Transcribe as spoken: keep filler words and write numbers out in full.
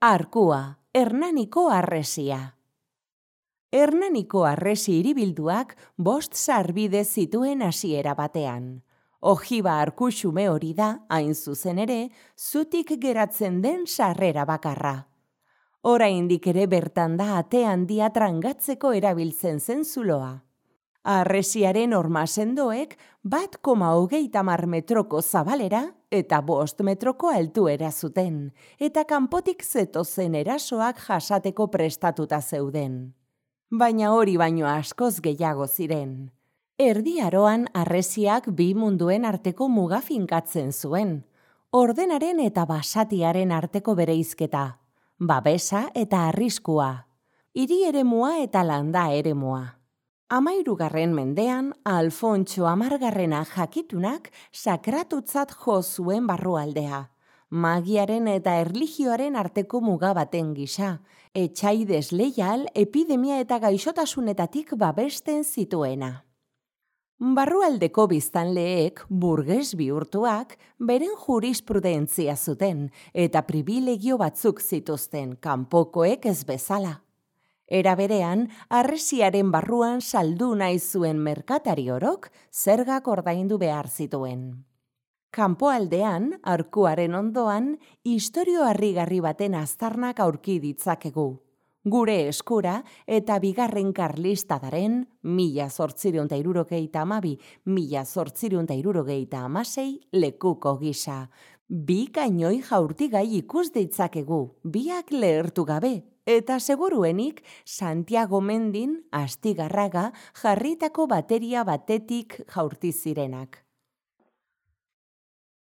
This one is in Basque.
Arkua, Hernaniko harresia. Hernaniko harresi hiribilduak bost sarbide zituen hasiera batean. Ojiba arkuxume hori da, hain zuzen ere, zutik geratzen den sarrera bakarra. Oraindik ere bertan da ate handia trangatzeko erabiltzen zen zuloa. Harresiaren horma sendoek bat koma hogeita hamar metroko zabalera eta bost metroko altuera zuten, eta kanpotik zetozen erasoak jasateko prestatuta zeuden. Baina hori baino askoz gehiago ziren. Erdi Aroan harresiak bi munduen arteko muga finkatzen zuen, ordenaren eta basatiaren arteko bereizketa, babesa eta arriskua, hiri eremua eta landa eremua. Hamahirugarren mendean, Alfontso hamargarrena jakitunak sakratutzat jo zuen barrualdea, magiaren eta erlijioaren arteko muga baten gisa, etsai desleial epidemia eta gaixotasunetatik babesten zituena. Barrualdeko biztanleek, burges bihurtuak, beren jurisprudentzia zuten eta pribilegio batzuk zituzten, kanpokoek ez bezala. Era berean, harresiaren barruan saldu nahi zuen merkatari orok zergak ordaindu behar zituen. Kanpoaldean, arkuaren ondoan, istorio harrigarri baten aztarnak aurki ditzakegu. Gure eskura eta bigarren karlistadaren mila zortziehun eta hirurogeita hamabi mila zortziehun eta hirurogeita hamasei lekuko gisa. Bi kainoi jaurtigai ikus ditzakegu, biak lehertu gabe, eta seguruenik Santiago Mendin Astigarraga jarritako bateria batetik jaurti zirenak.